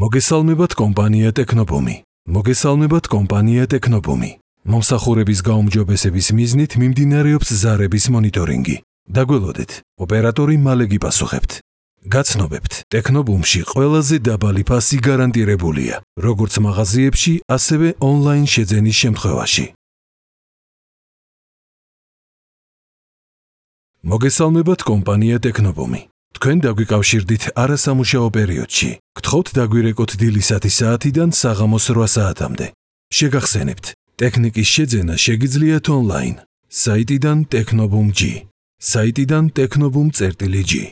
მოგესალმებათ კომპანია ტექნობუმი. მოგესალმებათ კომპანია ტექნობუმი. მომსახურების გაუმჯობესების მიზნით მიმდინარეობს ზარების მონიტორინგი. დაგველოდეთ, ოპერატორი მალე გიპასუხებთ. გაცნობებთ, ტექნობუმში ყველაზე დაბალი ფასი გარანტირებულია, როგორც მაღაზიებში, ასევე ონლაინ შეძენის შემთხვევაში. მოგესალმებათ კომპანია ტექნობუმი. თქვენ დაგვიკავშირდით არასამუშაო პერიოდში. გთხოვთ დაგვირეკოთ დილისათი საათიდან საღამოს 8 საათამდე. შეგახსენებთ, ტექნიკის შეძენა შეგიძლიათ ონლაინ. საიტიდან technobum.g. საიტიდან technobum.g.